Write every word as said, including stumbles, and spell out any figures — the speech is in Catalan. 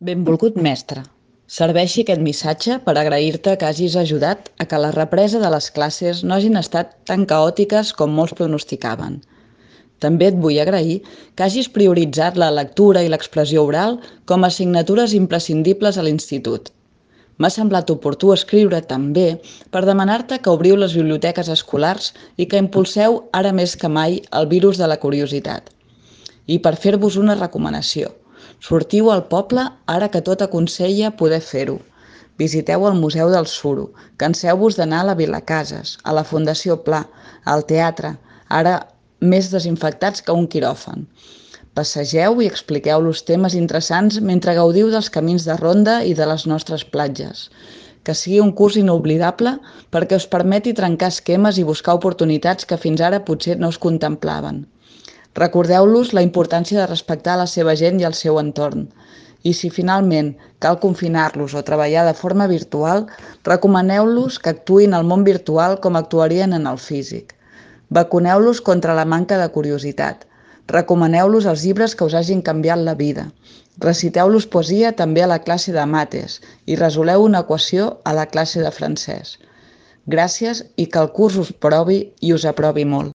Benvolgut mestre, serveixi aquest missatge per agrair-te que hagis ajudat a que la represa de les classes no hagin estat tan caòtiques com molts pronosticaven. També et vull agrair que hagis prioritzat la lectura i l'expressió oral com a assignatures imprescindibles a l'institut. M'ha semblat oportú escriure també per demanar-te que obriu les biblioteques escolars i que impulseu ara més que mai el virus de la curiositat. I per fer-vos una recomanació. Sortiu al poble ara que tot aconsella poder fer-ho. Visiteu el Museu del Suro, canseu-vos d'anar a la Vilacases, a la Fundació Pla, al teatre, ara més desinfectats que un quiròfan. Passegeu i expliqueu-los temes interessants mentre gaudiu dels camins de ronda i de les nostres platges. Que sigui un curs inoblidable perquè us permeti trencar esquemes i buscar oportunitats que fins ara potser no es contemplaven. Recordeu-los la importància de respectar la seva gent i el seu entorn. I si finalment cal confinar-los o treballar de forma virtual, recomaneu-los que actuïn al món virtual com actuarien en el físic. Vacuneu-los contra la manca de curiositat. Recomaneu-los els llibres que us hagin canviat la vida. Reciteu-los poesia també a la classe de mates i resoleu una equació a la classe de francès. Gràcies i que el curs us provi i us aprovi molt.